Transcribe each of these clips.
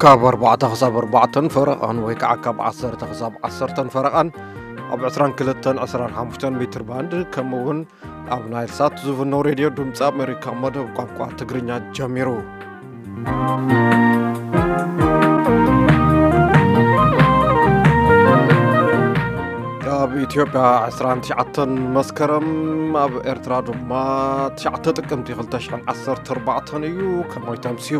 ካብ ኣርባዕተ ክሳብ ኣርባዕተን ፈረቓን ወይ ከዓ ካብ ዓሰርተ ክሳብ ዓሰርተን ፈረቓን ኣብ ዕስራን ክልተን ዕስራን ሓሙሽተን ሜትር ባንድ፣ ከምኡ እውን ኣብ ናይል ሳት ዝፍኖ ሬድዮ ድምፂ ኣሜሪካ መደብ ቋንቋ ትግርኛ ጀሚሩ። ኣብ ኢትዮጵያ ዕስራን ትሽዓተን መስከረም፣ ኣብ ኤርትራ ድማ ትሽዓተ ጥቅምቲ ክልተ ሽሕን ዓሰርተ ኣርባዕተን እዩ። ከመይ ተምስዩ?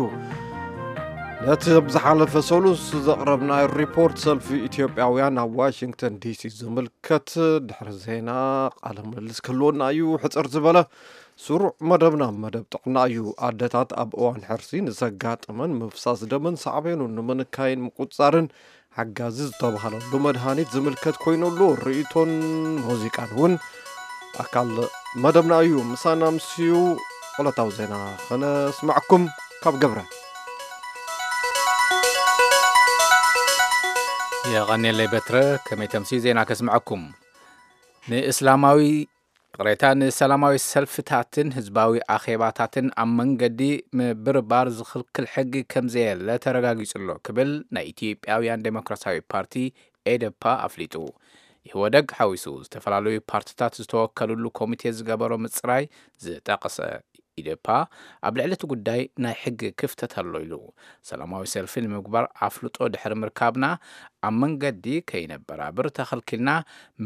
ነቲ ኣብ ዝሓለፈ ሰሉስ ዘቕረብናዮ ሪፖርት ሰልፊ ኢትዮጵያውያን ኣብ ዋሽንግተን ዲሲ ዝምልከት ድሕሪ ዜና ቃለ ምልልስ ክህልወና እዩ። ሕጽር ዝበለ ስሩዕ መደብና መደብ ጥዕና እዩ። ኣደታት ኣብ እዋን ሕርሲ ንዘጋጥመን ምፍሳስ ደምን ሳዕቤኑ ንምንካይን ምቁጽጻርን ሓጋዚ ዝተባህለሉ መድሃኒት ዝምልከት ኮይኑ ኣሎ። ርእይቶን ሙዚቃን እውን ኣካል መደብና እዩ። ምሳና ምስዩ ዕለታዊ ዜና ከነስማዕኩም ካብ ገብረ። የቐንየለይ በትረ፣ ከመይ ተምስዩ ዜና ከስምዐኩም። ንእስላማዊ ቅሬታ ንሰላማዊ ሰልፍታትን ህዝባዊ ኣኼባታትን ኣብ መንገዲ ምብርባር ዝኽልክል ሕጊ ከም ዘየለ ተረጋጊጹ ኣሎ ክብል ናይ ኢትዮጵያውያን ዴሞክራሲያዊ ፓርቲ ኤደፓ ኣፍሊጡ። ኢህወደግ ሓዊሱ ዝተፈላለዩ ፓርትታት ዝተወከሉሉ ኮሚቴ ዝገበሮ ምጽራይ ዝጠቐሰ ኢዴፓ ኣብ ልዕሊ እቲ ጉዳይ ናይ ሕጊ ክፍተት ኣሎ ኢሉ። ሰላማዊ ሰልፊ ንምግባር ኣፍልጦ ድሕሪ ምርካብና ኣብ መንገዲ ከይነበራብር ተኸልኪልና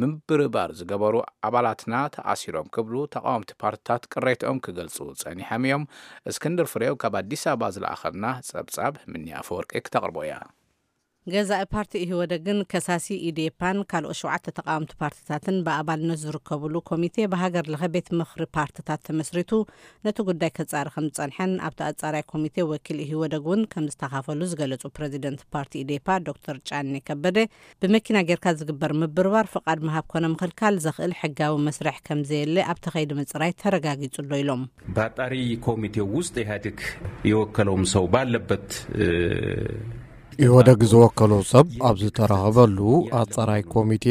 ምብርባር ዝገበሩ ኣባላትና ተኣሲሮም ክብሉ ተቃወምቲ ፓርትታት ቅሬትኦም ክገልጹ ጸኒሖም እዮም። እስክንድር ፍሬው ካብ ኣዲስ ኣበባ ዝለኣኸልና ጸብጻብ ምኒ ኣፈወርቂ ክተቕርቦ እያ። ገዛኢ ፓርቲ ኢህወደግን ከሳሲ ኢዴፓን ካልኦት ሸውዓተ ተቃወምቲ ፓርትታትን ብኣባልነት ዝርከብሉ ኮሚቴ ብሃገር ለኸ ቤት ምኽሪ ፓርትታት ተመስሪቱ ነቲ ጉዳይ ከጻሪ ከም ዝጸንሐን ኣብቲ ኣጻራይ ኮሚቴ ወኪል ኢህወደግ እውን ከም ዝተኻፈሉ ዝገለጹ ፕረዚደንት ፓርቲ ኢዴፓ ዶክተር ጫኔ ከበደ፣ ብመኪና ጌርካ ዝግበር ምብርባር ፍቓድ ምሃብ ኮነ ምኽልካል ዘኽእል ሕጋዊ መስርሕ ከም ዘየለ ኣብቲ ከይዲ ምጽራይ ተረጋጊጹ ኣሎ ኢሎም። በአጣሪ ኮሚቴው ውስጥ ኢህአዴግ የወከለውም ሰው ባለበት፣ እ፣ ኢህወደግ ዝወከሎ ሰብ ኣብ ዝተረኸበሉ ኣጻራይ ኮሚቴ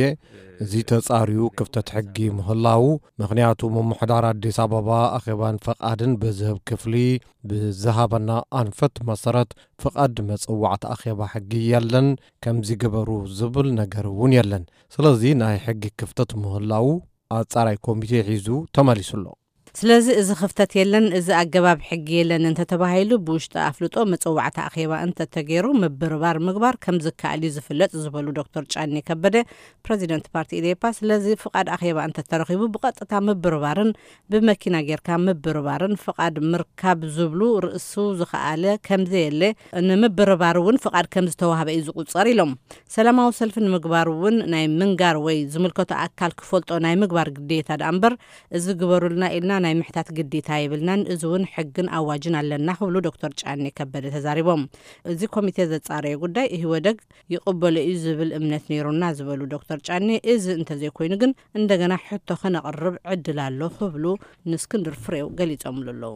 እዚ ተጻርዩ ክፍተት ሕጊ ምህላዉ፣ ምኽንያቱ ምምሕዳር ኣዲስ ኣበባ ኣኼባን ፈቓድን ብዝህብ ክፍሊ ብዝሃበና ኣንፈት መሰረት ፍቓድ መጸዋዕቲ ኣኼባ ሕጊ የለን፣ ከምዚ ግበሩ ዝብል ነገር እውን የለን። ስለዚ ናይ ሕጊ ክፍተት ምህላዉ ኣጻራይ ኮሚቴ ሒዙ ተመሊሱ ኣሎ። ስለዚ እዚ ክፍተት የለን፣ እዚ ኣገባብ ሕጊ የለን እንተተባሂሉ ብውሽጢ ኣፍልጦ መጸዋዕታ ኣኼባ እንተተገይሩ ምብርባር ምግባር ከም ዝከኣል እዩ ዝፍለጥ ዝበሉ ዶክተር ጫኔ ከበደ፣ ፕረዚደንት ፓርቲ ኢዴፓ፣ ስለዚ ፍቓድ ኣኼባ እንተተረኺቡ ብቐጥታ ምብርባርን ብመኪና ጌርካ ምብርባርን ፍቓድ ምርካብ ዝብሉ ርእሱ ዝኸኣለ ከም ዘየለ፣ ንምብርባር እውን ፍቓድ ከም ዝተዋህበ እዩ ዝቁጸር ኢሎም። ሰላማዊ ሰልፊ ንምግባር እውን ናይ ምንጋር ወይ ዝምልከቶ ኣካል ክፈልጦ ናይ ምግባር ግዴታ ደኣ እምበር እዚ ግበሩልና ኢልና ናይ ምሕታት ግዴታ የብልናን፣ እዚ እውን ሕግን ኣዋጅን ኣለና ክብሉ ዶክተር ጫኔ ከበደ ተዛሪቦም። እዚ ኮሚቴ ዘጻረዮ ጉዳይ ኢህወደግ ይቕበሎ እዩ ዝብል እምነት ነይሩና ዝበሉ ዶክተር ጫኔ፣ እዚ እንተዘይኮይኑ ግን እንደገና ሕቶ ከነቕርብ ዕድል ኣሎ ክብሉ ንእስክንድር ፍሬው ገሊጾምሉ ኣለዉ።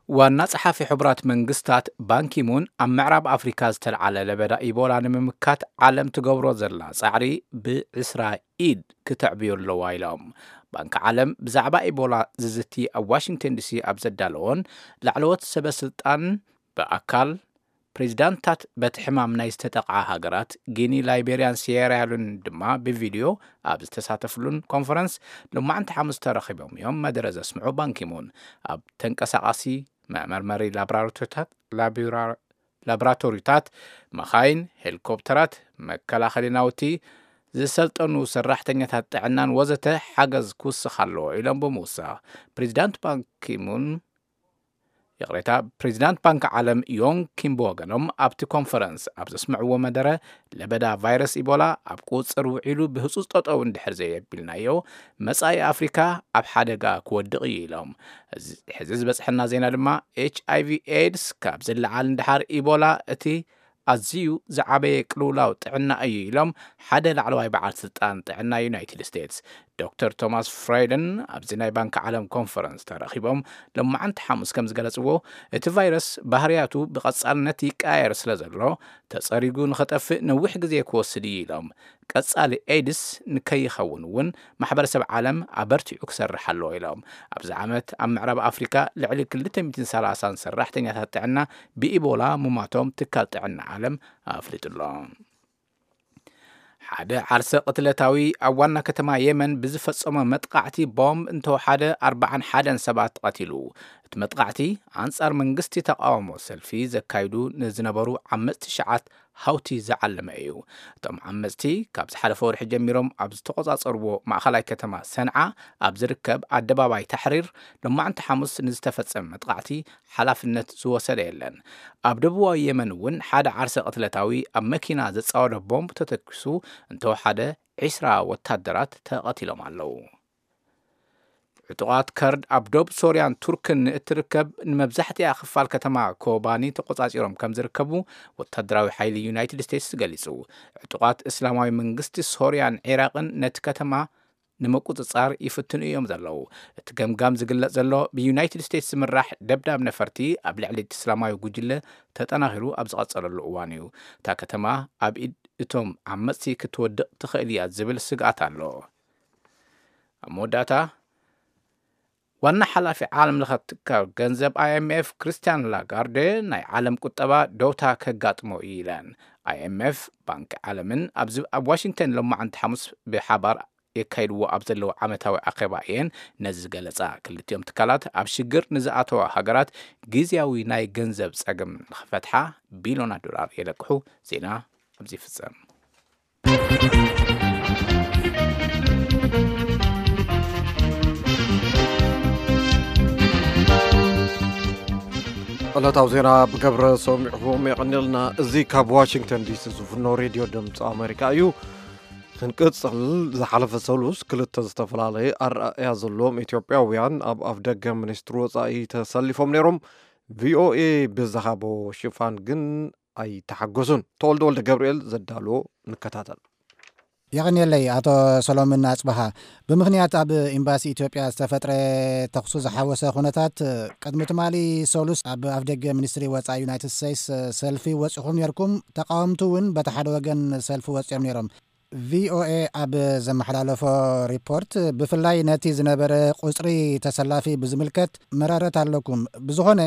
ዋና ጸሓፊ ሕቡራት መንግስታት ባንኪሙን ኣብ ምዕራብ ኣፍሪካ ዝተልዓለ ለበዳ ኢቦላ ንምምካት ዓለም ትገብሮ ዘላ ጻዕሪ ብዕስራ ኢድ ክተዕብዮ ኣለዋ ኢሎም። ባንኪ ዓለም ብዛዕባ ኢቦላ ዝዝቲ ኣብ ዋሽንግተን ዲሲ ኣብ ዘዳለዎን ላዕለዎት ሰበ ስልጣን ብኣካል ፕሬዚዳንታት በቲ ሕማም ናይ ዝተጠቕዓ ሃገራት ጊኒ፣ ላይቤርያን ሴራሊዮን ድማ ብቪድዮ ኣብ ዝተሳተፍሉን ኮንፈረንስ ሎማዕንቲ ሓሙስ ተረኺቦም እዮም መደረ ዘስምዑ ባንኪሙን። ኣብ ተንቀሳቓሲ መመርመሪ ላብራቶሪታት፣ ላቢራ-፣ ላብራቶሪታት፣ መኻይን፣ ሄሊኮፕተራት፣ መከላኸሊ ናውቲ፣ ዝሰልጠኑ ሰራሕተኛታት ጥዕናን ወዘተ ሓገዝ ክውስኽ ኣለዎ ኢሎም ብምውሳኽ ፕሬዚዳንት ባንኪሙን ይቕሬታ፣ ፕሬዚዳንት ባንኪ ዓለም ዮንግ ኪም ብወገኖም ኣብቲ ኮንፈረንስ ኣብ ዘስምዕዎ መደረ ለበዳ ቫይረስ ኢቦላ ኣብ ቁጽጽር ውዒሉ ብህጹጽ ጠጠው እንድሕር ዘየቢልናዮ መጻኢ ኣፍሪካ ኣብ ሓደጋ ክወድቕ እዩ ኢሎም። እዚ ሕዚ ዝበጽሐና ዜና ድማ ኤች ኣይ ቪ ኤድስ ካብ ዝለዓል እንድሓር ኢቦላ እቲ ኣዝዩ ዝዓበየ ቅልውላው ጥዕና እዩ ኢሎም ሓደ ላዕለዋይ በዓል ስልጣን ጥዕና ዩናይትድ ስቴትስ። ዶክተር ቶማስ ፍራይደን ኣብዚ ናይ ባንክ ዓለም ኮንፈረንስ ተረኺቦም ሎማዓንቲ ሓሙስ ከም ዝገለጽዎ፣ እቲ ቫይረስ ባህርያቱ ብቐጻልነት ይቀያየር ስለ ዘሎ፣ ተጸሪጉ ንኸጠፍእ ነዊሕ ግዜ ክወስድ እዩ ኢሎም። ቀጻሊ ኤድስ ንከይኸውን እውን ማሕበረሰብ ዓለም ኣበርቲዑ ክሰርሕ ኣለዎ ኢሎም። ኣብዚ ዓመት ኣብ ምዕራብ ኣፍሪካ ልዕሊ ክልተ ሚእትን ሰላሳን ሰራሕተኛታት ጥዕና ብኢቦላ ሙማቶም ትካል ጥዕና ዓለም ኣፍሊጡ ኣሎ። ሓደ ዓርሰ ቅትለታዊ ኣብ ዋና ከተማ የመን ብዝፈጸሞ መጥቃዕቲ ቦምብ እንተወሓደ ኣርባዓን ሓደን ሰባት ቀቲሉ። እቲ መጥቃዕቲ ኣንጻር መንግስቲ ተቃውሞ ሰልፊ ዘካይዱ ንዝነበሩ ዓመጽቲ ሸዓት ሃውቲ ዝዓለመ እዩ። እቶም ዓመጽቲ ካብ ዝሓለፈ ወርሒ ጀሚሮም ኣብ ዝተቆጻጸርዎ ማእኸላይ ከተማ ሰንዓ ኣብ ዝርከብ ኣደባባይ ታሕሪር ሎማዕንቲ ሓሙስ ንዝተፈጸመ መጥቃዕቲ ሓላፍነት ዝወሰደ የለን። ኣብ ደቡባዊ የመን እውን ሓደ ዓርሰ ቅትለታዊ ኣብ መኪና ዘጻወደ ቦምብ ተተኪሱ እንተወሓደ ዒስራ ወታደራት ተቐቲሎም ኣለዉ። ዕጡቓት ከርድ ኣብ ዶብ ሶርያን ቱርክን እትርከብ ንመብዛሕትኣ ክፋል ከተማ ኮባኒ ተቆጻጺሮም ከም ዝርከቡ ወታደራዊ ሓይሊ ዩናይትድ ስቴትስ ገሊጹ። ዕጡቓት እስላማዊ መንግስቲ ሶርያን ዒራቕን ነቲ ከተማ ንምቁጽጻር ይፍትኑ እዮም ዘለዉ። እቲ ገምጋም ዝግለጽ ዘሎ ብዩናይትድ ስቴትስ ዝምራሕ ደብዳብ ነፈርቲ ኣብ ልዕሊ እቲ እስላማዊ ጉጅለ ተጠናኺሩ ኣብ ዝቐጸለሉ እዋን እዩ። እታ ከተማ ኣብ ኢድ እቶም ዓመጽቲ ክትወድቕ ትኽእል እያ ዝብል ስግኣት ኣሎ። ኣብ መወዳእታ፣ ዋና ሓላፊ ዓለም ለኸ ትካል ገንዘብ ኣይኤምኤፍ ክርስቲያን ላጋርደ ናይ ዓለም ቁጠባ ደውታ ከጋጥሞ እዩ ኢለን። ኣይኤምኤፍ ባንኪ ዓለምን ኣብዚ ኣብ ዋሽንግተን ሎማዓንቲ ሓሙስ ብሓባር የካይድዎ ኣብ ዘለዉ ዓመታዊ ኣኼባ እየን ነዚ ዝገለጻ። ክልቲኦም ትካላት ኣብ ሽግር ንዝኣተዋ ሃገራት ግዝያዊ ናይ ገንዘብ ጸገም ንኽፈትሓ ቢሎናት ዶላር የለቅሑ። ዜና ኣብዚ ይፍጸም። ዕለታዊ ዜና ብገብረ ሰሚዕኹም የቐንየልና። እዚ ካብ ዋሽንግተን ዲሲ ዝፍኖ ሬድዮ ድምፂ ኣሜሪካ እዩ። ክንቅፅል፣ ዝሓለፈ ሰሉስ ክልተ ዝተፈላለየ ኣረኣእያ ዘለዎም ኢትዮጵያውያን ኣብ ኣፍደገ ሚኒስትሪ ወፃኢ ተሰሊፎም ነይሮም። ቪኦኤ ብዝሃቦ ሽፋን ግን ኣይተሓገሱን። ተወልደ ወልደ ገብርኤል ዘዳሎ ንከታተል። የቐንየለይ ኣቶ ሰሎምን ኣጽበሃ። ብምኽንያት ኣብ ኤምባሲ ኢትዮጵያ ዝተፈጥረ ተኹሲ ዝሓወሰ ኩነታት፣ ቅድሚ ትማሊ ሰሉስ ኣብ ኣፍደገ ሚኒስትሪ ወጻኢ ዩናይትድ ስቴትስ ሰልፊ ወጺኹም ነርኩም። ተቃወምቲ እውን በቲ ሓደ ወገን ሰልፊ ወጺኦም ነይሮም። ቪኦኤ ኣብ ዘመሓላለፎ ሪፖርት፣ ብፍላይ ነቲ ዝነበረ ቁጽሪ ተሰላፊ ብዝምልከት መረረት ኣለኩም። ብዝኾነ፣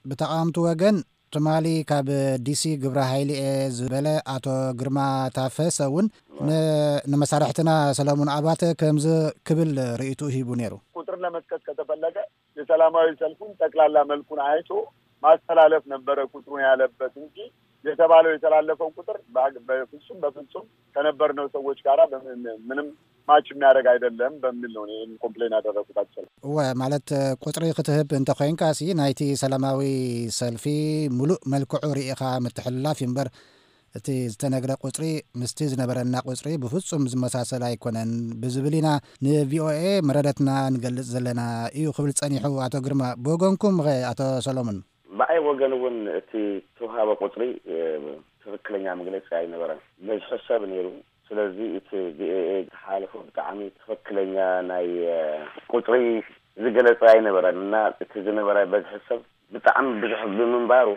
ብተቃወምቲ ወገን ትማሊ ካብ ዲሲ ግብረ ሓይሊ እየ ዝበለ ኣቶ ግርማ ታፈሰ እውን ን-፣ ንመሳርሕትና ሰለሙን ኣባተ ከምዚ ክብል ርእይትኡ ሂቡ ነይሩ። ቁጥር ለመስጠት ከተፈለገ የሰላማዊ ሰልፉን ጠቅላላ መልኩን አይቶ ማስተላለፍ ነበረ ቁጥሩን ያለበት እንጂ የተባለው የተላለፈው ቁጥር በ-፣ በፍጹም፣ በፍጹም ከነበርነው ሰዎች ጋራ በምን-፣ ምንም ማች የሚያደርግ አይደለም በሚል ነው ይህን ኮምፕሌን ያደረጉት። አክቹዋሊ እወ፣ ማለት ቁጽሪ ክትህብ እንተኾይንካ ሲ ናይቲ ሰላማዊ ሰልፊ ሙሉእ መልክዑ ርኢኻ ምትሕልላፍ እዩ እምበር፣ እቲ ዝተነግረ ቁጽሪ ምስቲ ዝነበረና ቁጽሪ ብፍጹም ዝመሳሰል ኣይኮነን ብዝብል ኢና ንቪኦኤ መረረትና ንገልጽ ዘለና እዩ ክብል ጸኒሑ ኣቶ ግርማ። ብወገንኩም ኸ ኣቶ ሰሎሞን? ብኣይ ወገን እውን እቲ ተውሃበ ቁጽሪ፣ እ፣ ትኽክለኛ መግለጺ ኣይነበረን። በዝሒ ሰብ ነይሩ። ስለዚ እቲ ቪኦኤ ዝሓለፎ ብጣዕሚ ትኽክለኛ ናይ፣ እ፣ ቁጽሪ ዝገለጸ ኣይነበረን እና እቲ ዝነበረ በዝሒ ሰብ ብጣዕሚ ብዙሕ ብምንባሩ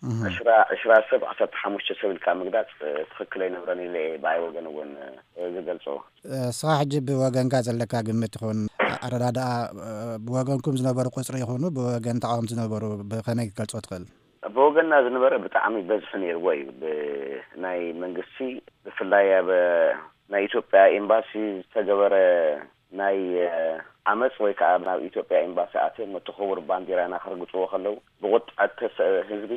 እህ። ዕስራ፣ ዕስራ ሰብ፣ ዓሰርተ ሓሙሽተ ሰብ ኢልካ ምግላጽ፣ እ፣ ትኽክል ኣይነበረን ኢለ እየ ብኣይ ወገን እውን፣ እ፣ ዝገልጾ። እስኻ ሕጂ ብወገንካ ዘለካ ግምት ይኹን ኣረዳድኣ፣ እ፣ ብወገንኩም ዝነበሩ ቁጽሪ ይኹኑ ብወገን ተቃወምቲ ዝነበሩ ብኸመይ ክትገልጾ ትኽእል? ብወገንና ዝነበረ ብጣዕሚ በዝሒ ነይርዎ እዩ። ብናይ መንግስቲ ብፍላይ ኣብ ናይ ኢትዮጵያ ኤምባሲ ዝተገበረ ናይ፣ እ፣ ዓመፅ ወይ ከዓ ናብ ኢትዮጵያ ኤምባሲ ኣትዮም እቲ ክቡር ባንዲራና ከርግፅዎ ከለዉ ብቁጥዐ ተሰ-፣ ህዝቢ፣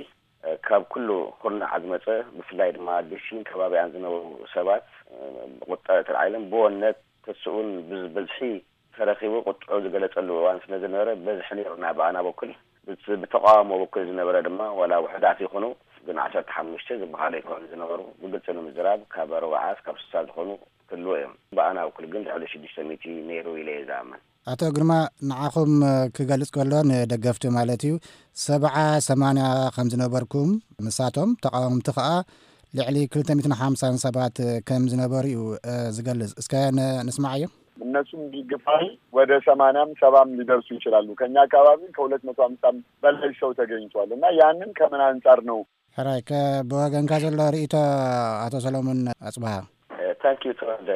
እ፣ ካብ ኩሉ ኩርናዕ ዝመፀ ብፍላይ ድማ ዲሲን ከባቢኣን ዝነበሩ ሰባት፣ እ፣ ብቁጥዐ ተላዒሎም ብወነት ተስኡን ብዝ-፣ ብዝሒ ተረኺቡ ቁጥዑ ዝገለጸሉ እዋን ስለ ዝነበረ በዝሒ ነይሩ። ናይ ብኣና በኩል ብት-፣ ብተቃውሞ በኩል ዝነበረ ድማ ዋላ ውሑዳት ይኹኑ ግን ዓሰርተ ሓሙሽተ ዝበሃሉ ኣይኮኑን ዝነበሩ። ብግልጺ ንምዝራብ ካብ ኣርባዓ እስካብ ስሳ ዝኾኑ ክህልዉ እዮም። ብኣና በኩል ግን ልዕሊ ሽዱሽተ ሚእቲ ነይሩ ኢለ እየ ዝኣምን። ኣቶ ግርማ፣ ንዓኹም ክገልጽ ከሎ ንደገፍቲ ማለት እዩ፣ ሰብዓ ሰማንያ ከም ዝነበርኩም፣ ንሳቶም ተቃወምቲ ከኣ ልዕሊ ክልተ ሚእትን ሓምሳን ሰባት ከም ዝነበሩ እዩ፣ እ፣ ዝገልጽ። እስከ ን-፣ ንስማዓዮ። እነሱም ቢግፋይ ወደ ሰማንያም ሰባም ሊደርሱ ይችላሉ። ከኛ አካባቢ ከሁለት መቶ ሀምሳም በላይ ሰው ተገኝቷል። እና ያንን ከምን አንጻር ነው? ሕራይ፣ ከ-፣ ብወገንካ ዘሎ ርእይቶ፣ ኣቶ ሰሎሞን ኣጽብሃ። ታንኪዩ ተወልደ።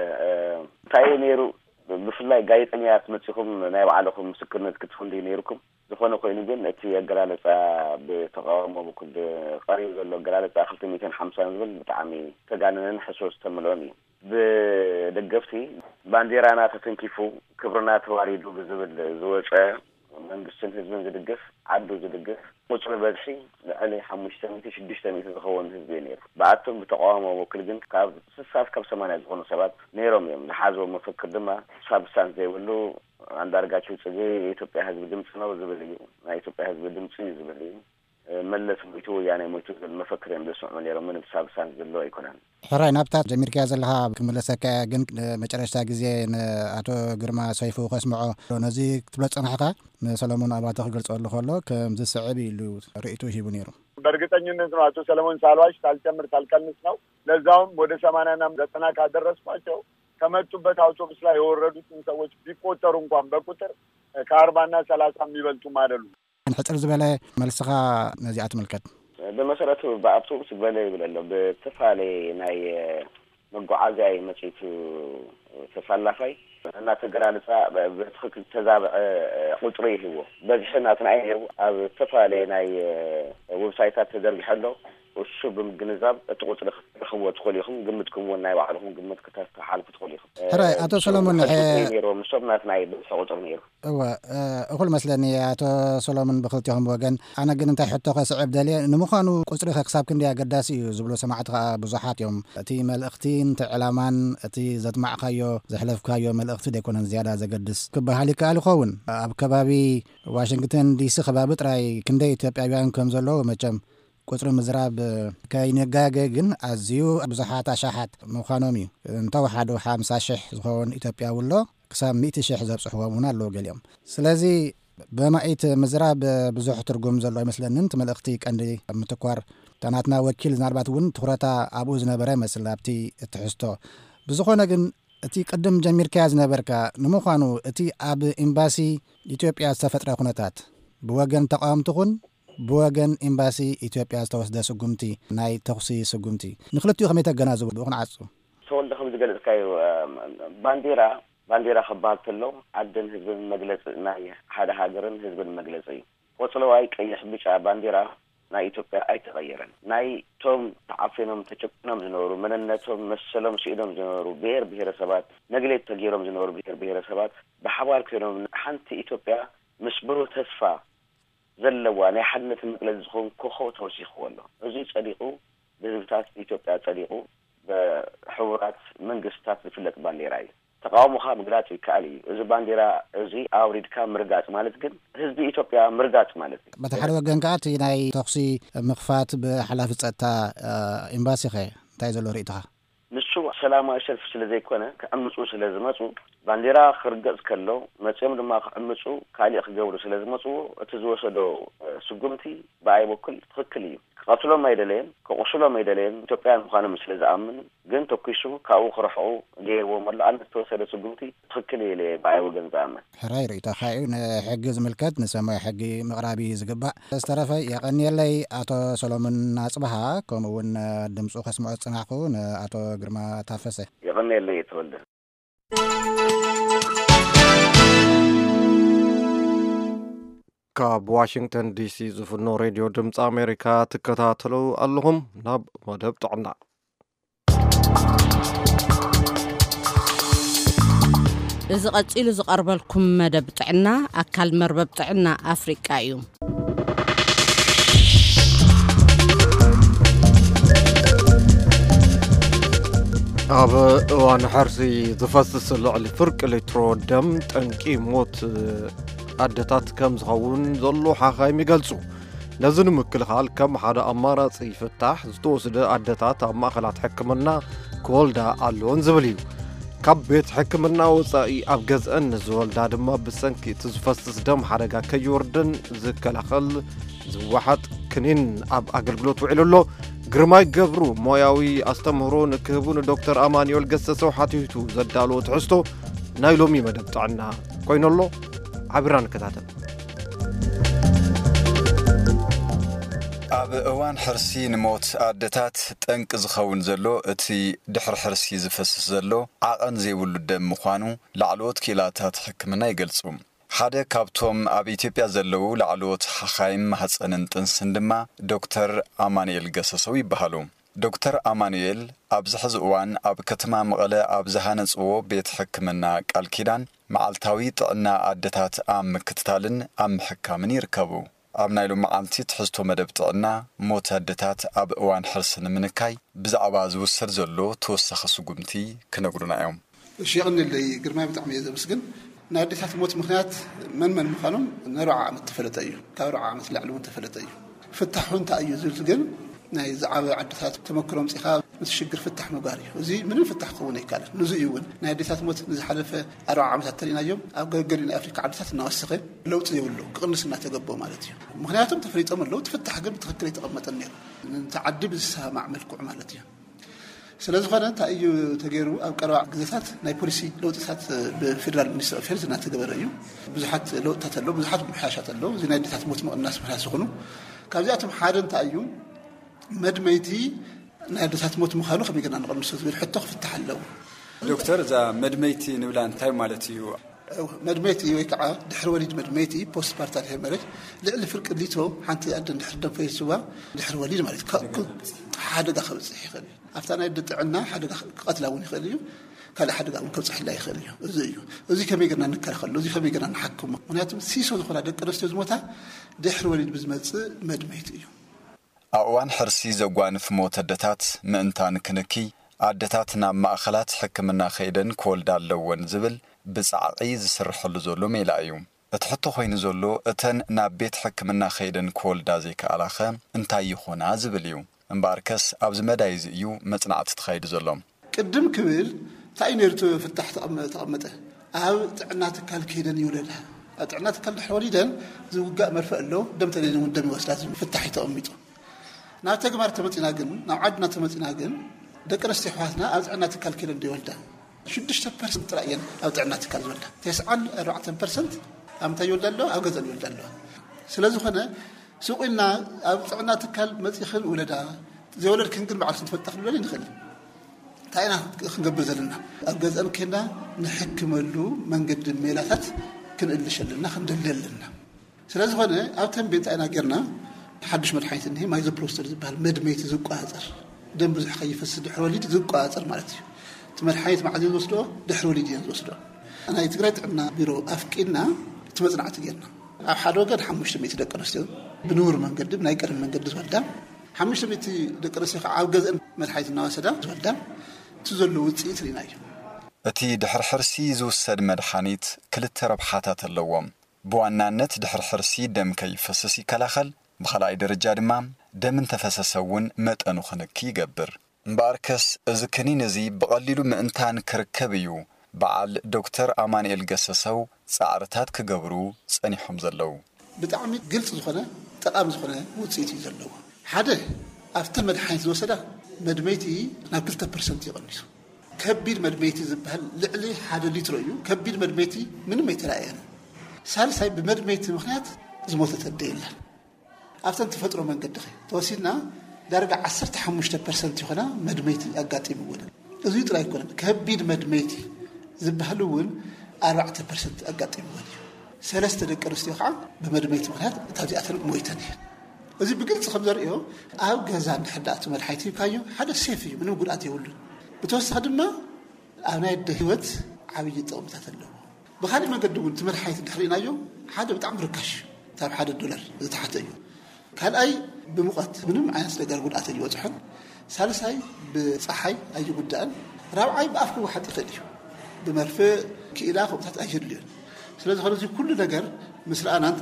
እንታይ እዩ ነይሩ? ብፍላይ ጋዜጠኛታት መጺኹም ናይ ባዕልኹም ምስክርነት ክትህቡ እንዲ ነይርኩም። ዝኾነ ኮይኑ ግን እቲ ኣገላልጻ፣ ብተቃውሞ በኩል ቀሪቡ ዘሎ ኣገላልጻ ክልተ ሚእትን ሓምሳን ዝብል ብጣዕሚ ተጋነነን ሕሶ ዝተመልኦን እዩ። ብደገፍቲ ባንዴራና ተተንኪፉ፣ ክብርና ተዋሪዱ ብዝብል ዝወጸ፣ መንግስትን ህዝብን ዝድግፍ፣ ዓዱ ዝድግፍ፣ ቁጽሪ በዝሒ ልዕሊ ሓሙሽተ ሚእቲ ሽዱሽተ ሚእቲ ዝኸውን ህዝቢ እዩ ነይሩ። ብኣቶም ብተቃውሞ ወክል ግን ካብ ስሳ እስካብ ሰማንያ ዝኾኑ ሰባት ነይሮም እዮም። ዝሓዝዎ መፈክር ድማ ሳብስታንስ ዘይብሉ፣ ኣንዳርጋቸው ጽጌ የኢትዮጵያ ህዝቢ ድምፂ ነው ዝብል እዩ። ናይ ኢትዮጵያ ህዝቢ ድምፂ እዩ ዝብል እዩ። መለስ ሞይቱ፣ ወያኔ ሞይቱ ዝብል መፈክር እዮም ዘስምዑ ነይሮም። ምንም ሳብስታንስ ዘለዎ ኣይኮነን። ሕራይ፣ ናብታ ጀሚርካያ ዘለኻ ክምለሰካ እየ፣ ግን መጨረሽታ ግዜ ንኣቶ ግርማ ሰይፉ ከስምዖ፣ ነዚ ክትብሎ ዝጸናሕካ ንሰለሞን ኣባተ ክገልጸሉ ከሎ ከምዚ ስዕብ ኢሉ ርእይቶ ሂቡ ነይሩ። በእርግጠኝነት ነው፣ ኣቶ ሰለሞን፣ ሳልዋሽ፣ ሳልጨምር ሳልቀንስ ነው። ለዛውም ወደ ሰማንያና ዘጠና ካደረስኳቸው፣ ከመጡበት አውቶቡስ ላይ የወረዱትን ሰዎች ቢቆጠሩ እንኳን በቁጥር ከአርባና ሰላሳ የሚበልጡም አይደሉም። ሕጽር ዝበለ መልስኻ ነዚኣ ትምልከት። ብመሰረቱ ብኣውቶቡስ ገለ ይብል ኣሎ፣ ብተፈላለየ ናይ መጓዓዝያ እዩ መጺቱ ተሳላፋይ። እናተገላልጻ ብትኽክል ተዛብዐ ቁጽሪ ይህቦ። በዝሒ ናትና እዩ ነይሩ። ኣብ ዝተፈላለየ ናይ ዌብሳይታት ተዘርጊሐ ኣሎ። እሱ ብምግንዛብ እቲ ቁጽሪ ክትረኽብዎ ትኽእሉ ኢኹም። ግምትኩም እውን ናይ ባዕልኹም ግምት ክተተሓልፉ ትኽእሉ ኢኹም። ሕራይ፣ ኣቶ ንሶም ሰሎሞን፣ ሕሱር ሐ- እዩ ነይሩ። ንሶም ናትና እዩ ብዝሒ ቁጽሪ ነይሩ። እወ፣ እ፣ እኹል መስለኒ። ኣቶ ሰሎሞን፣ ብኽልቲኹም ወገን። ኣነ ግን እንታይ ሕቶ ከስዕብ ደልየ፣ ንምዃኑ ቁጽሪ ከ ክሳብ ክንደይ ኣገዳሲ እዩ ዝብሉ ሰማዕቲ ከኣ ብዙሓት እዮም። እቲ መልእኽቲን እቲ ዕላማን፣ እቲ ዘጥማዕካዮ፣ ዘሕለፍካዮ መልእኽቲ ደይኮነን ዝያዳ ዘገድስ ክበሃል ይከኣል ይኸውን። ኣብ ከባቢ ዋሽንግተን ዲሲ ከባቢ ጥራይ ክንደይ ኢትዮጵያውያን ከም ዘለዉ መቸም ቁጽሪ ምዝራብ ከይንጋገ ግን ኣዝዩ ብዙሓት ኣሻሓት ምዃኖም እዩ። እንተወሓዱ ሓምሳ ሽሕ ዝኸውን ኢትዮጵያዊ ኣሎ፣ ክሳብ ሚእቲ ሽሕ ዘብጽሕዎም እውን ኣለዉ ገሊኦም። ስለዚ ብማኢት ምዝራብ ብዙሕ ትርጉም ዘሎ ኣይመስለንን። እቲ መልእኽቲ ቀንዲ ምትኳር እታ ናትና ወኪል ምናልባት እውን ትኹረታ ኣብኡ ዝነበረ ይመስል ኣብቲ ትሕዝቶ። ብዝኾነ ግን እቲ ቅድም ጀሚርካያ ዝነበርካ፣ ንምዃኑ እቲ ኣብ ኤምባሲ ኢትዮጵያ ዝተፈጥረ ኩነታት ብወገን ተቃወምቲ ኹን ብወገን ኤምባሲ ኢትዮጵያ ዝተወስደ ስጉምቲ፣ ናይ ተኹሲ ስጉምቲ፣ ንክልቲኡ ከመይ ተገናዝቡ? ብኡ ክንዓጹ። ተወልደ፣ ከም ዝገለጽካዮ፣ እ፣ ባንዲራ፣ ባንዲራ ክበሃል ከሎ ዓድን ህዝብን መግለጺ፣ ናይ ሓደ ሃገርን ህዝብን መግለጺ እዩ። ቆጽለዋይ ቀይሕ ብጫ ባንዲራ ናይ ኢትዮጵያ ኣይተቐየረን። ናይ ቶም ተዓፊኖም ተጨቁኖም ዝነበሩ፣ መንነቶም መሰሎም ስኢኖም ዝነበሩ ብሔር ብሔረሰባት፣ ነግሌት ተገይሮም ዝነበሩ ብሔር ብሔረሰባት ብሓባር ኮይኖም ሓንቲ ኢትዮጵያ ምስ ብሩህ ተስፋ ዘለዋ ናይ ሓድነት መግለጺ ዝኸውን ኮኾብ ተወሲኽዎ ኣሎ። እዚ ጸዲቑ፣ ብህዝብታት ኢትዮጵያ ጸዲቑ፣ ብሕቡራት መንግስታት ዝፍለጥ ባንዴራ እዩ። ተቃውሞኻ ምግላጽ ይከኣል እዩ። እዚ ባንዴራ እዚ ኣውሪድካ ምርጋጽ ማለት ግን ህዝቢ ኢትዮጵያ ምርጋጽ ማለት እዩ። በቲ ሓደ ወገን ከኣ እቲ ናይ ተኹሲ ምኽፋት ብሓላፊ ጸጥታ፣ እ፣ ኤምባሲ ኸ እንታይ ዘሎ ርእይቶኻ? ንሱ ሰላማዊ ሰልፊ ስለ ዘይኮነ፣ ክዕምጹ ስለ ዝመጹ፣ ባንዴራ ክርገጽ ከሎ፣ መጺኦም ድማ ክዕምጹ፣ ካሊእ ክገብሩ ስለ ዝመጽዎ፣ እቲ ዝወሰዶ፣ እ፣ ስጉምቲ ብኣይ በኩል ትኽክል እዩ። ክቐትሎም ኣይደለየን፣ ክቑስሎም ኣይደለየን። ኢትዮጵያውያን ምዃኖም ስለ ዝኣምን ግን ተኲሱ ካብኡ ክርሕቑ ገይርዎም ኣሎ። ኣነ ዝተወሰደ ስጉምቲ ትኽክል እዩ ኢለ ብኣይ ወገን ዝኣምን። ሕራይ ርእይቶኻ እዩ። ንሕጊ ዝምልከት ንሰማይ ሕጊ ምቕራብ እዩ ዝግባእ። ዝተረፈ የቐንየለይ ኣቶ ሰሎሞን ኣጽብሃ፣ ከምኡ እውን ድምፁ ከስምዖ ዝጽናሕኩ ንኣቶ ግርማ ታፈሰ። የቐንየለይ ተወልደ። ካብ ዋሽንግተን ዲሲ ዝፍኖ ሬድዮ ድምፂ ኣሜሪካ ትከታተሉ ኣለኹም። ናብ መደብ ጥዕና። እዚ ቀጺሉ ዝቐርበልኩም መደብ ጥዕና ኣካል መርበብ ጥዕና ኣፍሪቃ እዩ። ኣብ እዋን ሕርሲ ዝፈስስ ልዕሊ ፍርቂ ሊትሮ ደም ጠንቂ ሞት ኣደታት ከም ዝኸውን ዘሎ ሓኻይም ይገልጹ። ነዚ ንምክልኻል ከም ሓደ ኣማራጺ ፍታሕ ዝተወስደ ኣደታት ኣብ ማእኸላት ሕክምና ክወልዳ ኣለወን ዝብል እዩ። ካብ ቤት ሕክምና ወጻኢ ኣብ ገዝአን ንዝወልዳ ድማ ብሰንኪ እቲ ዝፈስስ ደም ሓደጋ ከይወርደን ዝከላኸል ዝወሓጥ ክኒን ኣብ ኣገልግሎት ውዒሉ ኣሎ። ግርማይ ገብሩ ሞያዊ ኣስተምህሮ ንክህቡ ንዶክተር ኣማኑኤል ገሰሰው ሓቲቱ ዘዳለዎ ትሕዝቶ ናይ ሎሚ መደብ ጥዕና ኮይኑ ኣሎ። ሓቢርና ንከታተል። ኣብ እዋን ሕርሲ ንሞት ኣደታት ጠንቂ ዝኸውን ዘሎ እቲ ድሕሪ ሕርሲ ዝፈስስ ዘሎ ዓቐን ዘይብሉ ደም ምዃኑ ላዕለዎት ክኢላታት ሕክምና ይገልጹ። ሓደ ካብቶም ኣብ ኢትዮጵያ ዘለዉ ላዕለዎት ሓኻይም ማህፀንን ጥንስን ድማ ዶክተር ኣማኑኤል ገሰሰው ይበሃሉ። ዶክተር ኣማኑኤል ኣብዚ ሕዚ እዋን ኣብ ከተማ መቐለ ኣብ ዝሃነፅዎ ቤት ሕክምና ቃል ኪዳን መዓልታዊ ጥዕና ኣደታት ኣብ ምክትታልን ኣብ ምሕካምን ይርከቡ። ኣብ ናይ ሎሚ መዓልቲ ትሕዝቶ መደብ ጥዕና፣ ሞት ኣደታት ኣብ እዋን ሕርሲ ንምንካይ ብዛዕባ ዝውሰድ ዘሎ ተወሳኺ ስጉምቲ ክነግሩና እዮም። እሺ፣ የቐንየለይ ግርማይ፣ ብጣዕሚ እየ ዘመስግን። ናይ ኣዴታት ሞት ምኽንያት መን መን ምዃኖም ንኣርብዓ ዓመት ተፈለጠ እዩ። ካብ ኣርብዓ ዓመት ላዕሊ እውን ተፈለጠ እዩ። ፍታሑ እንታይ እዩ ዝብል ግን ናይ ዝዓበ ዓድታት ተመክሮ ኣምፂኻ ምስ ሽግር ፍታሕ ምግባር እዩ። እዚ ምንም ፍታሕ ክኸውን ኣይከኣልን። ንዚ እዩ እውን ናይ ኣዴታት ሞት ንዝሓለፈ ኣርብዓ ዓመታት ተሪእናዮም ኣብ ገገሊኡ ናይ ኣፍሪካ ዓድታት እናወሰኸ ለውጢ የብሉ፣ ክቕንስ እናተገበኦ ማለት እዩ። ምኽንያቱም ተፈሊጦም ኣለዉ፣ እቲ ፍታሕ ግን ብትኽክል ኣይተቐመጠን ነይሩ። ነቲ ዓዲ ብዝሰማማዕ መልክዑ ማለት እዩ። ስለ ዝኾነ እንታይ እዩ ተገይሩ? ኣብ ቀረባ ግዜታት ናይ ፖሊሲ ለውጥታት ብፌደራል ሚኒስትሪ ኦፍ ሄልዝ እናተገበረ እዩ። ብዙሓት ለውጥታት ኣለዉ፣ ብዙሓት ምምሕያሻት ኣለዉ። እዚ ናይ ኣዴታት ሞት ምቕናስ ምኽንያት ዝኾኑ ካብዚኣቶም ሓደ እንታይ እዩ? መድመይቲ ናይ ኣዴታት ሞት ምዃኑ ከመይ ጌርና ንቐንሶ ዝብል ሕቶ ክፍታሕ ኣለዎ። ዶክተር፣ እዛ መድመይቲ ንብላ እንታይ ማለት እዩ? መድመይቲ ወይ ከዓ ድሕሪ ወሊድ መድመይቲ፣ ፖስት ፓርታል ሄመሬጅ፣ ልዕሊ ፍርቂ ሊትሮ ሓንቲ ኣደ እንድሕር ደም ፈሲስዋ ድሕሪ ወሊድ ማለት እዩ፣ ካ- ክ- ሓደጋ ከብፅሕ ይኽእል እዩ። ኣብታ ናይ ኣደ ጥዕና ሓደጋ ክቐትላ እውን ይኽእል እዩ። ካልእ ሓደጋ እውን ከብፅሕላ ይኽእል እዩ። እዚ እዩ። እዚ ከመይ ጌርና ንከላኸሎ? እዚ ከመይ ጌርና ንሓክሞ? ምክንያቱም ሲሶ ዝኾና ደቂ ኣንስትዮ ዝሞታ ድሕሪ ወሊድ ብዝመፅእ መድመይቲ እዩ። ኣብ እዋን ሕርሲ ዘጓንፍ ሞት ኣደታት ምእንታን ክንኪ፣ ኣደታት ናብ ማእኸላት ሕክምና ከይደን ክወልዳ ኣለወን ዝብል ብጻዕቒ ዝስርሐሉ ዘሎ ሜላ እዩ። እቲ ሕቶ ኮይኑ ዘሎ፣ እተን ናብ ቤት ሕክምና ከይደን ክወልዳ ዘይከኣላኸ እንታይ ይኾና ዝብል እዩ። እምበኣርከስ ኣብዚ መዳይ እዚ እዩ መጽናዕቲ ተኻይዱ ዘሎ። ቅድም ክብል እንታይ እዩ ነይሩ እቲ ፍታሕ ተቐመ-፣ ተቐመጠ? ኣብ ጥዕና ትካል ከይደን ይውለዳ። ኣብ ጥዕና ትካል ድሕሪ ወሊደን ዝውጋእ መርፍእ ኣሎ፣ ደም ተደልየን እውን ደም ይወስዳ ዝብል ፍታሕ እዩ ተቐሚጡ። ናብ ተግባር ተመፂና ግን፣ ናብ ዓድና ተመፂና ግን፣ ደቂ ኣንስትዮ ኣሕዋትና ኣብ ጥዕና ትካል ከይደን ዶ ይወልዳ? ሽዱሽተ ፐርሰንት ጥራይ እየን ኣብ ጥዕና ትካል ዝወልዳ። ተስዓን ኣርባዕተን ፐርሰንት ኣብ ምንታይ ይወልዳ ኣለዋ? ኣብ ገዛን ይወልዳ ኣለዋ። ስለ ዝኾነ፣ ስቕ ኢልና ኣብ ጥዕና ትካል መፂኽን ውለዳ፣ ዘይወለድክን ግን ባዕልክን ትፈልጣ ክንብለል ንኽእል። እንታይ ኢና ክንገብር ዘለና? ኣብ ገዛን ከይና ንሕክመሉ መንገዲ ሜላታት ክንእልሽ ኣለና፣ ክንደሊ ኣለና። ስለ ዝኾነ፣ ኣብ ተንቤን እንታይ ኢና ጌርና? ሓድሽ መድሓኒት እኒሄ፣ ማይዞፕሮስተር ዝበሃል መድመይቲ ዝቆፃፀር፣ ደም ብዙሕ ከይፈስስ ድሕሪ ወሊድ ዝቆፃፀር ማለት እዩ። እቲ መድሓኒት መዓዝ እየን ዝወስድኦ? ድሕሪ ወሊድ እየን ዝወስድኦ። ናይ ትግራይ ጥዕና ቢሮ ኣፍቂድና እቲ መጽናዕቲ ጌርና። ኣብ ሓደ ወገን ሓሙሽተ ሚእቲ ደቂ ኣንስትዮ ብንቡር መንገዲ፣ ብናይ ቀደም መንገዲ ዝወልዳ፣ ሓሙሽተ ሚእቲ ደቂ ኣንስትዮ ከዓ ኣብ ገዝአን መድሓኒት እናወሰዳ ዝወልዳ፣ እቲ ዘሎ ውፅኢት ርኢና እዩ። እቲ ድሕሪ ሕርሲ ዝውሰድ መድሓኒት ክልተ ረብሓታት ኣለዎም። ብዋናነት ድሕሪ ሕርሲ ደም ከይፈስስ ይከላኸል፣ ብኻልኣይ ደረጃ ድማ ደም እንተፈሰሰ እውን መጠኑ ክንኪ ይገብር። እምበኣርከስ እዚ ክኒን እዚ ብቐሊሉ ምእንታን ክርከብ እዩ። በዓል ዶክተር ኣማኑኤል ገሰሰው ጻዕርታት ክገብሩ ጸኒሖም ዘለዉ። ብጣዕሚ ግልፂ ዝኾነ ጠቓሚ ዝኾነ ውፅኢት እዩ ዘለዎ። ሓደ፣ ኣብተን መድሓኒት ዝወሰዳ መድመይቲ ናብ ክልተ ፐርሰንት ይቐንሱ። ከቢድ መድመይቲ ዝበሃል ልዕሊ ሓደ ሊትሮ እዩ። ከቢድ መድመይቲ ምንም ኣይተራእየን። ሳልሳይ፣ ብመድመይቲ ምኽንያት ዝሞተት ኣደ የላን። ኣብተን ተፈጥሮ መንገዲ ኸ ተወሲድና ዳርጋ ዓሰርተ ሓሙሽተ ፐርሰንት ይኾና መድመይቲ ኣጋጢምወን። እዚ ጥራይ ኣይኮነን፣ ከቢድ መድመይቲ ዝበሃል እውን ኣርባዕተ ፐርሰንት ኣጋጢምወን እዩ። ሰለስተ ደቂ ኣንስትዮ ከዓ ብመድመይቲ ምኽንያት እታ እዚኣተን ሞይተን እየን። እዚ ብግልፂ ከም ዘርእዮ፣ ኣብ ገዛ እንድሕር ደኣ እቲ መድሓኒት ሂብካዮ ሓደ ሴፍ እዩ፣ ምንም ጉድኣት የብሉን። ብተወሳኺ ድማ ኣብ ናይ ኣደ ህይወት ዓብዪ ጥቕምታት ኣለዎ። ብኻሊእ መገዲ እውን እቲ መድሓኒት እንድሕር ርኢናዮ ሓደ ብጣዕሚ ርካሽ እዩ፣ ካብ ሓደ ዶላር ዝተሓተ እዩ። ካልኣይ ብሙቐት ምንም ዓይነት ነገር ጉድኣት ኣይበፅሖን። ሳልሳይ ብፀሓይ ኣይጉዳእን። ራብዓይ ብኣፍ ክወሓጥ ይኽእል እዩ። ብመርፍእ ክኢላ ከምኡታት ኣየድልዮን። ስለ ዝኾነ እዚ ኩሉ ነገር ምስ ረኣናን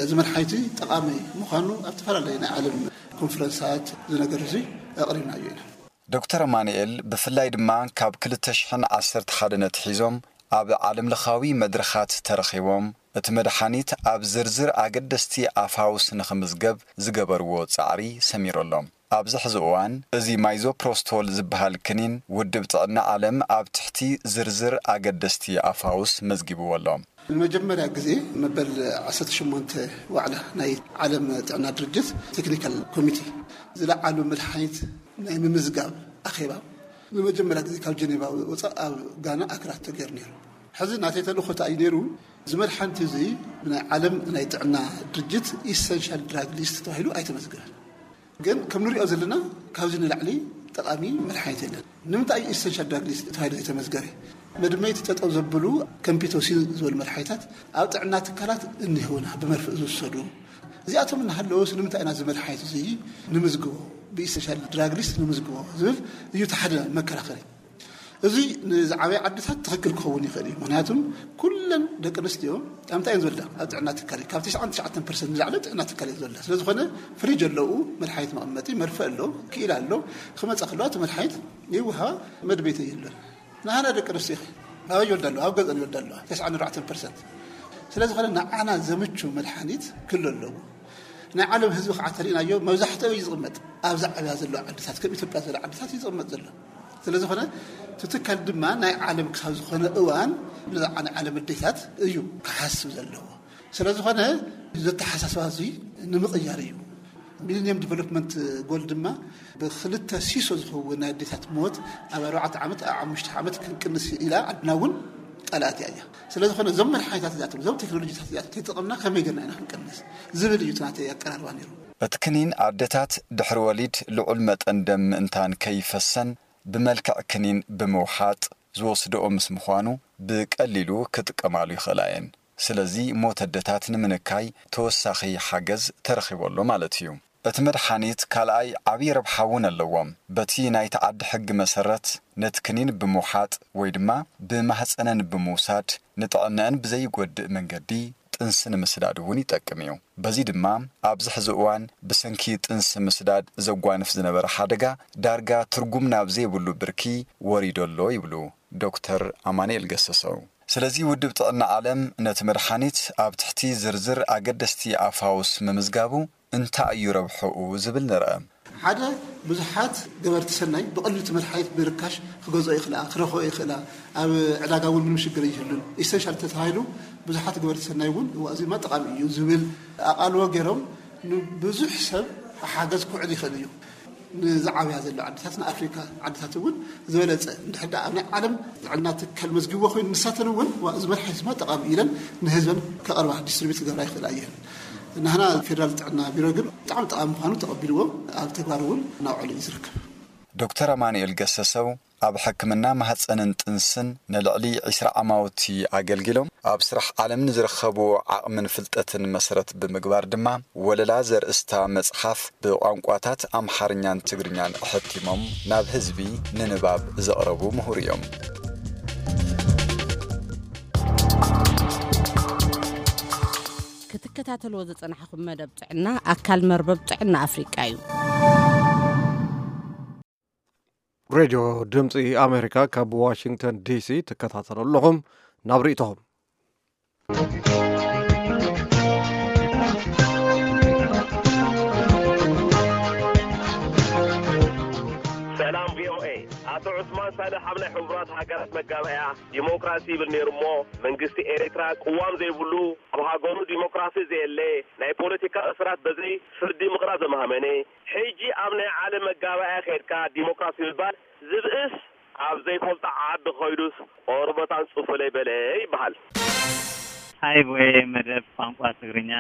እዚ መድሓኒት ጠቓሚ ምዃኑ ኣብ ዝተፈላለዩ ናይ ዓለም ኮንፈረንሳት እዚ ነገር እዚ ኣቕሪብናዮ ኢና። ዶክተር ኣማኑኤል ብፍላይ ድማ ካብ ክልተ ሽሕን ዓሰርተ ሓደን ኣትሒዞም ኣብ ዓለምለኻዊ መድረኻት ተረኺቦም እቲ መድሓኒት ኣብ ዝርዝር ኣገደስቲ ኣፋውስ ንኽምዝገብ ዝገበርዎ ጻዕሪ ሰሚሩ ኣሎ። ኣብዚ ሕዚ እዋን፣ እዚ ማይዞፕሮስቶል ዝበሃል ክኒን፣ ውድብ ጥዕና ዓለም ኣብ ትሕቲ ዝርዝር ኣገደስቲ ኣፋውስ መዝጊብዎ ኣሎ። ንመጀመርያ ግዜ መበል ዓሰርተ ሸሞንተ ዋዕላ ናይ ዓለም ጥዕና ድርጅት ቴክኒካል ኮሚቴ ዝለዓሉ መድሓኒት ናይ ምምዝጋብ ኣኼባ ንመጀመርያ ግዜ ካብ ጀኔቫ ወፃእ ኣብ ጋና ኣክራ ተገይሩ ነይሩ። ሕዚ ናተይ ተልእኾ እንታይ እዩ ነይሩ? እዚ መድሓኒት እዚ ብናይ ዓለም ናይ ጥዕና ድርጅት ኢሰንሻል ድራግ ሊስት ተባሂሉ ኣይተመዝገበን። ግን ከም ንሪኦ ዘለና ካብዚ ንላዕሊ ጠቓሚ መድሓኒት የለን። ንምንታይ እዩ ኢሰንሻል ድራግ ሊስት ተባሂሉ ዘይተመዝገበ? መድመይቲ ጠጠው ዘብሉ ከምፒቶሲን ዝበሉ መድሓኒታት ኣብ ጥዕና ትካላት እኒህውና ብመርፍእ ዝውሰዱ። እዚኣቶም እናሃለውስ ንምንታይ ኢና እዚ መድሓኒት እዚ ንምዝግቦ፣ ብኢሰንሻል ድራግ ሊስት ንምዝግቦ ዝብል እዩ እቲ ሓደ መከራኸሪ። እዚ ንዝዓበየ ዓድታት ትኽክል ክኸውን ይኽእል እዩ። ምኽንያቱም ኩለን ደቂ ኣንስትዮ ኣብ እንታይ እየን ዝወልዳ? ኣብ ጥዕና ትካል እዩ። ካብ ትሽዓን ትሽዓተን ፐርሰንት ንላዕሊ ኣብ ጥዕና ትካል እየን ዝወልዳ። ስለ ዝኾነ ፍሪጅ ኣለዉ፣ መድሓኒት መቐመጢ፣ መርፍእ ኣሎ፣ ክኢላ ኣሎ። ክመጻ ከለዋ እቲ መድሓኒት ይወሃባ፣ መድቤት የለን። ንሃና ደቂ ኣንስትዮ ኸ ኣበይ ይወልዳ ኣለዋ? ኣብ ገዝአን ይወልዳ ኣለዋ፣ ተስዓን ኣርባዕተን ፐርሰንት። ስለ ዝኾነ ንዓና ዘምቹ መድሓኒት ክህሉ ኣለዎ። ናይ ዓለም ህዝቢ ከዓ ተሪእናዮ መብዛሕትኡ እዩ ዝቕመጥ ኣብዛ ዓብያ ዘለዋ ዓድታት፣ ከም ኢትዮጵያ ዝበላ ዓድታት እዩ ዝቕመጥ ዘሎ። ስለ ዝኾነ እቲ ትካል ድማ ናይ ዓለም ክሳብ ዝኾነ እዋን ነዛ ናይ ዓለም ኣዴታት እዩ ክሓስብ ዘለዎ። ስለ ዝኾነ እዚ ኣተሓሳስባ እዚ ንምቕያር እዩ። ሚሊኒየም ዲቨሎፕመንት ጎል ድማ ብክልተ ሲሶ ዝኸውን ናይ ኣዴታት ሞት ኣብ ኣርባዕተ ዓመት፣ ኣብ ሓሙሽተ ዓመት ክንቅንስ ኢላ ዓድና እውን ቃል ኣትያ እያ። ስለ ዝኾነ እዞም መድሓኒታት እዚኣቶም፣ እዞም ቴክኖሎጂታት እዚኣቶም ተጠቐምና ከመይ ጌርና ኢና ክንቀንስ ዝብል እዩ እቲ ናተይ ኣቀራርባ ነይሩ። እቲ ክኒን ኣደታት ድሕሪ ወሊድ ልዑል መጠን ደም ምእንታን ከይፈሰን ብመልክዕ ክኒን ብምውሓጥ ዝወስድኦ ምስ ምዃኑ ብቀሊሉ ክጥቀማሉ ይኽእላ እየን። ስለዚ ሞት ኣደታት ንምንካይ ተወሳኺ ሓገዝ ተረኺቡ ኣሎ ማለት እዩ። እቲ መድሓኒት ካልኣይ ዓብዪ ረብሓ እውን ኣለዎ። በቲ ናይቲ ዓዲ ሕጊ መሰረት ነቲ ክኒን ብምውሓጥ ወይ ድማ ብማህፀነን ብምውሳድ ንጥዕነአን ብዘይጎድእ መንገዲ ጥንሲ ንምስዳድ እውን ይጠቅም እዩ። በዚ ድማ ኣብዚ ሕዚ እዋን ብሰንኪ ጥንሲ ምስዳድ ዘጓንፍ ዝነበረ ሓደጋ ዳርጋ ትርጉም ናብ ዘይብሉ ብርኪ ወሪዶ ኣሎ ይብሉ ዶክተር ኣማኑኤል ገሰሰው። ስለዚ ውድብ ጥዕና ዓለም ነቲ መድሓኒት ኣብ ትሕቲ ዝርዝር ኣገደስቲ ኣፋውስ ምምዝጋቡ እንታይ እዩ ረብሕኡ ዝብል ንርአ። ሓደ፣ ብዙሓት ገበርቲ ሰናይ ብቐሊሉ እቲ መድሓኒት ብርካሽ ክገዝኦ ይኽእላ፣ ክረኽቦ ይኽእላ። ኣብ ዕዳጋ እውን ምንም ሽግር ይህሉን። ኢሰንሻል ተተባሂሉ ብዙሓት ገበርቲ ሰናይ እውን እዋ እዚማ ጠቓሚ እዩ ዝብል ኣቓልቦ ገይሮም ንብዙሕ ሰብ ሓገዝ ክውዕል ይኽእል እዩ። ንዝዓብያ ዘሎ ዓድታት ንኣፍሪካ ዓድታት እውን ዝበለፀ እንድሕር ደኣ ኣብ ናይ ዓለም ጥዕና ትካል መዝጊብዎ ኮይኑ ንሳተን እውን ዋ እዚ መድሓኒትማ ጠቓሚ ኢለን ንህዝበን ከቕርባ ዲስትሪቢዩት ክገብራ ይኽእላ እየን። ናህና ፌደራል ጥዕና ቢሮ ግን ብጣዕሚ ጠቓሚ ምዃኑ ተቐቢልዎ ኣብ ተግባር እውን እናውዓሉ እዩ ዝርከብ። ዶክተር ኣማኑኤል ገሰሰው ኣብ ሕክምና ማህፀንን ጥንስን ንልዕሊ ዒስራ ዓማውቲ ኣገልጊሎም ኣብ ስራሕ ዓለም ንዝረኸብዎ ዓቕምን ፍልጠትን መሰረት ብምግባር ድማ ወለላ ዘርእስታ መፅሓፍ ብቋንቋታት ኣምሓርኛን ትግርኛን ኣሐቲሞም ናብ ህዝቢ ንንባብ ዘቕረቡ ምሁር እዮም። ክትከታተልዎ ዝጸናሕኹም መደብ ጥዕና ኣካል መርበብ ጥዕና ኣፍሪቃ እዩ። ሬድዮ ድምፂ ኣሜሪካ ካብ ዋሽንግተን ዲሲ ትከታተሉ ኣለኹም። ናብ ርእይቶኹም። ሰላም ቪኦኤ። ኣቶ ዑስማን ሳልሕ ኣብ ናይ ሕቡራት ሃገራት መጋበእያ ዲሞክራሲ ይብል ነይሩ እሞ መንግስቲ ኤርትራ ቅዋም ዘይብሉ፣ ኣብ ሃገሩ ዲሞክራሲ ዘየለ፣ ናይ ፖለቲካ እስራት በዘይ ፍርዲ ምቕራብ ዘማህመነ፣ ሕጂ ኣብ ናይ ዓለም መጋባእያ ከድካ ዲሞክራሲ ምባል ዝብእስ ኣብ ዘይፈልጦ ዓዲ ከይዱስ ቆርበት ኣንጽፉለይ በለ ይበሃል። ሃይ ቮኤ መደብ ቋንቋ ትግርኛ፣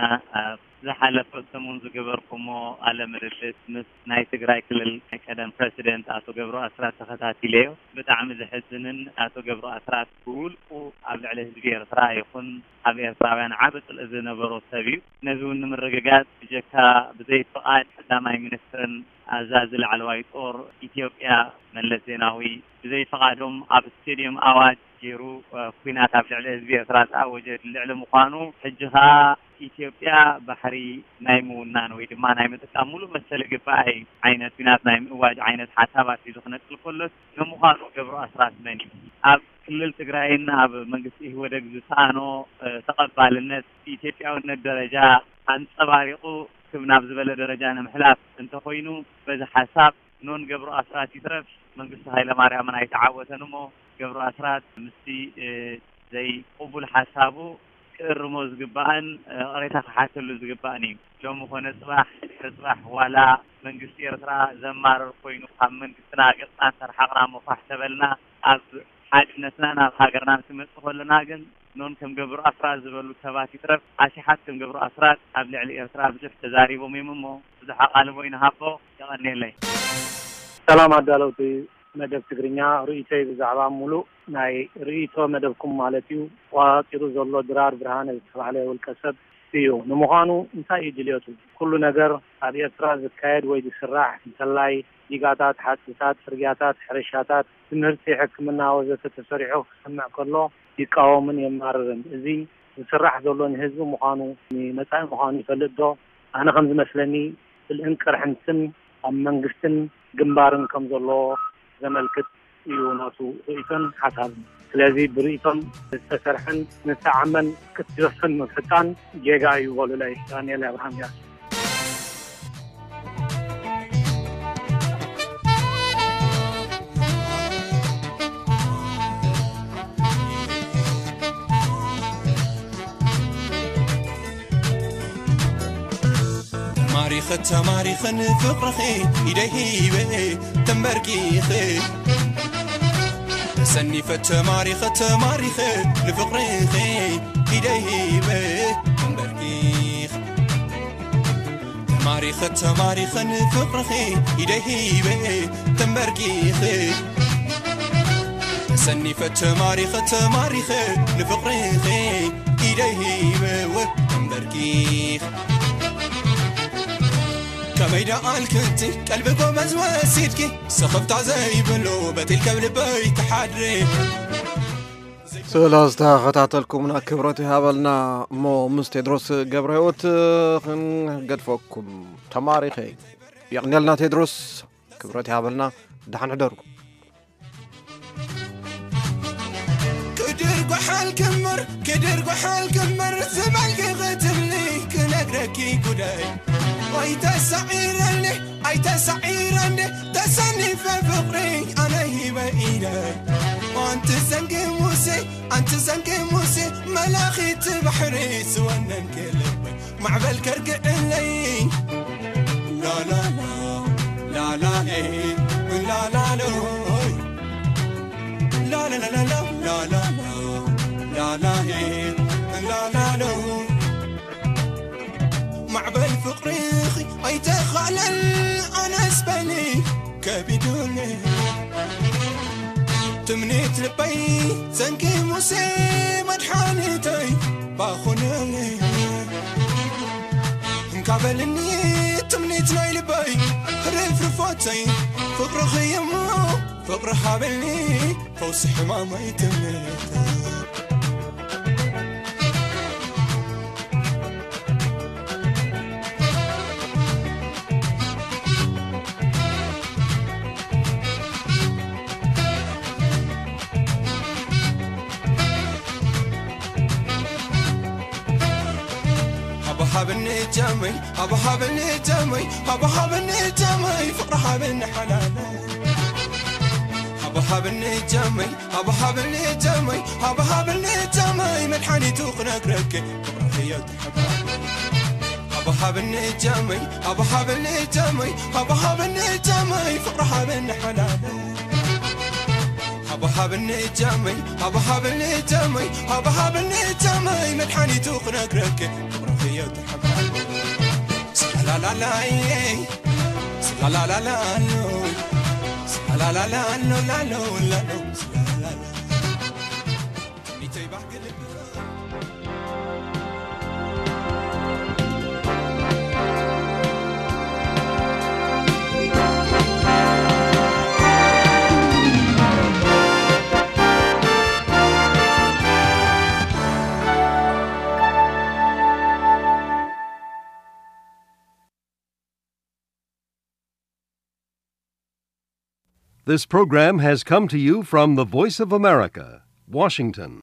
ኣብ ዝሓለፈ ሰሙን ዝገበርኩሞ ቃለ ምልልስ ምስ ናይ ትግራይ ክልል ናይ ቀደም ፕረሲደንት ኣቶ ገብሩ ኣስራት ተኸታቲለዮ። ብጣዕሚ ዘሕዝንን ኣቶ ገብሩ ኣስራት ብውልቁ ኣብ ልዕሊ ህዝቢ ኤርትራ ይኹን ኣብ ኤርትራውያን ዓቢ ጽልኢ ዝነበሮ ሰብ እዩ። ነዚ እውን ንምርግጋጽ ብጀካ ብዘይ ፍቓድ ቀዳማይ ሚኒስትርን ኣዛዚ ላዕለዋይ ጦር ኢትዮጵያ መለስ ዜናዊ ብዘይ ፍቓዶም ኣብ ስቴድዮም ኣዋጅ ገይሩ ኲናት ኣብ ልዕሊ ህዝቢ ኤርትራ ዝኣወጀ ልዕሊ ምዃኑ ሕጂ ኸኣ ኢትዮጵያ ባሕሪ ናይ ምውናን ወይ ድማ ናይ ምጥቃም ሙሉእ መሰል ይግባኣ እዩ ዓይነት ኲናት ናይ ምእዋጅ ዓይነት ሓሳባት ሒዙ ክነቅል ከሎስ፣ ንምዃኑ ገብሩ ኣስራት መን እዩ? ኣብ ክልል ትግራይን ኣብ መንግስቲ ኢህወደግ ዝሰኣኖ፣ እ፣ ተቐባልነት ብኢትዮጵያውነት ደረጃ ኣንጸባሪቑ ክብ ናብ ዝበለ ደረጃ ንምሕላፍ እንተኾይኑ፣ በዚ ሓሳብ ኖን ገብሩ ኣስራት ይትረፍ መንግስቱ ሃይለማርያምን ኣይተዓወተን እሞ፣ ገብሩ ኣስራት ምስቲ፣ እ፣ ዘይቅቡል ሓሳቡ ክእርሞ ዝግባእን፣ እ፣ ቅሬታ ክሓተሉ ዝግባእን እዩ። ሎሚ ኮነ ጽባሕ፣ ድሕሪ ጽባሕ ዋላ መንግስቲ ኤርትራ ዘማርር ኮይኑ ካብ መንግስትና ገጽና እንተርሓቕና እሞ ፋሕ ተበልና ኣብ ሓድነትና ናብ ሃገርና ምስ ንመጽእ ከለና ግን ኖን ከም ገብሩ ኣስራት ዝበሉ ሰባት ይትረፍ ኣሽሓት ከም ገብሩ ኣስራት ኣብ ልዕሊ ኤርትራ ብዙሕ ተዛሪቦም እዮም እሞ ብዙሕ ኣቓልቦ ይንሃቦ። የቐንየለይ። ሰላም ኣዳለውቲ መደብ ትግርኛ፣ ርእይቶይ ብዛዕባ ሙሉእ ናይ ርእይቶ መደብኩም ማለት እዩ፣ ተቋጺሩ ዘሎ ድራር ብርሃነ ዝተባህለ ውልቀ ሰብ እዩ። ንምዃኑ እንታይ እዩ ድልየቱ? ኩሉ ነገር ኣብ ኤርትራ ዝካየድ ወይ ዝስራሕ እንተላይ ዲጋታት፣ ሓጽብታት፣ ጽርግያታት፣ ሕርሻታት፣ ትምህርቲ፣ ሕክምና ወዘተ ተሰሪሑ ክሰምዕ ከሎ ይቃወምን የማርርን። እዚ ዝስራሕ ዘሎ ንህዝቢ ምዃኑ ንመጻኢ ምዃኑ ይፈልጥ ዶ? ኣነ ከም ዝመስለኒ ጽልእን ቅርሕንትን ኣብ መንግስትን ግንባርን ከም ዘሎ ዘመልክት እዩ ናቱ ርእይቶን ሓሳብን። ስለዚ ብርእይቶን ዝተሰርሐን ዝተዓመን ክትደፍን ምፍታን ጌጋ እዩ በሉለይ። ዳንኤል ኣብርሃም እያ። ተማሪኸ ተማሪኸ ንፍቕርኺ ኢደይ ሂበ ተንበርኪኸ። ተሰኒፈ ተማሪኸ ተማሪኸ ንፍቕርኺ ኢደይ ሂበ ተንበርኪኸ። ተማሪኸ ተማሪኸ ንፍቕርኺ ኢደይ ሂበ ተንበርኪኸ። ተሰኒፈ ተማሪኸ ተማሪኸ ንፍቕርኺ ኢደይ ሂበ ተንበርኪኸ። ከመይ ደኣ ኣልክቲ ቀልቢ ጎመዝ ወሲድኪ ስኽፍታ ዘይብሉ በቲል ከብ ልበይ ትሓድሪ። ስለ ዝተኸታተልኩምና ክብረት ይሃበልና። እሞ ምስ ቴድሮስ ገብረ ህይወት ክንገድፈኩም ተማሪኸ። የቕንየልና ቴድሮስ፣ ክብረት ይሃበልና። ደሓን ሕደሩ። ክድር ጓሓል ክምር ክድር ጓሓል ክምር ዝበልኪ ክትብሊ ክነግረኪ ጉዳይ ኣይተሳዒረኒ ኣይተሳዒረኒ ተሰኒፈ ፍቕሪ ኣነ ሂበ ኢለ ኣንቲ ዘንጊ ሙሴ ኣንቲ ዘንጊ ሙሴ መላኺት ባሕሪ ዝወነንኪ ልበይ ማዕበል ከርግዕለይ ላላላ ላላሌ ላላሎይ ላላላላ ላላላ ላላሄ ላላሎ ማዕበል ፍቕርኺ ኣይተኻለል ኣነስ በሊ ከቢዱኒ ትምኒት ልበይ ዘንጊ ሙሴ መድሓኒተይ ባኹነኒ እንካ በልኒ ትምኒት ናይ ልበይ ርፍርፎተይ ፍቕርኺ እሞ ፍቕሪ ሃበኒ ፈውሲ ሕማመይ ትምኒተይ ሃብሃብኒ ጃመይ ሃብሃብኒ ጃመይ ሃብሃብኒ ጃመይ ፍቕሪ ሃብኒ ሓላለ ሃብሃብኒ ጃመይ ሃብሃብኒ ጃመይ ሃብሃብኒ ጃመይ መድሓኒቱ ክነግረኪ ፍቕሪ ህይወት ሓባቢ ሃብሃብኒ ጃመይ ሃብሃብኒ ጃመይ ሃብሃብኒ ጃመይ ፍቕሪ ሃብኒ ሓላለ ሃብሃብኒ ጃመይ ሃብሃብኒ ጃመይ ሃብሃብኒ ጃመይ መድሓኒቱ ክነግረኪ ፍቕሪ ህይወት ሓባቢ ስላላላዬ ስላላላላሎ ስላላላላሎ ላሎ ላሎ ስላላላ ትምኒተይ ባህጊ ልቢ This program has come to you from the Voice of America, Washington.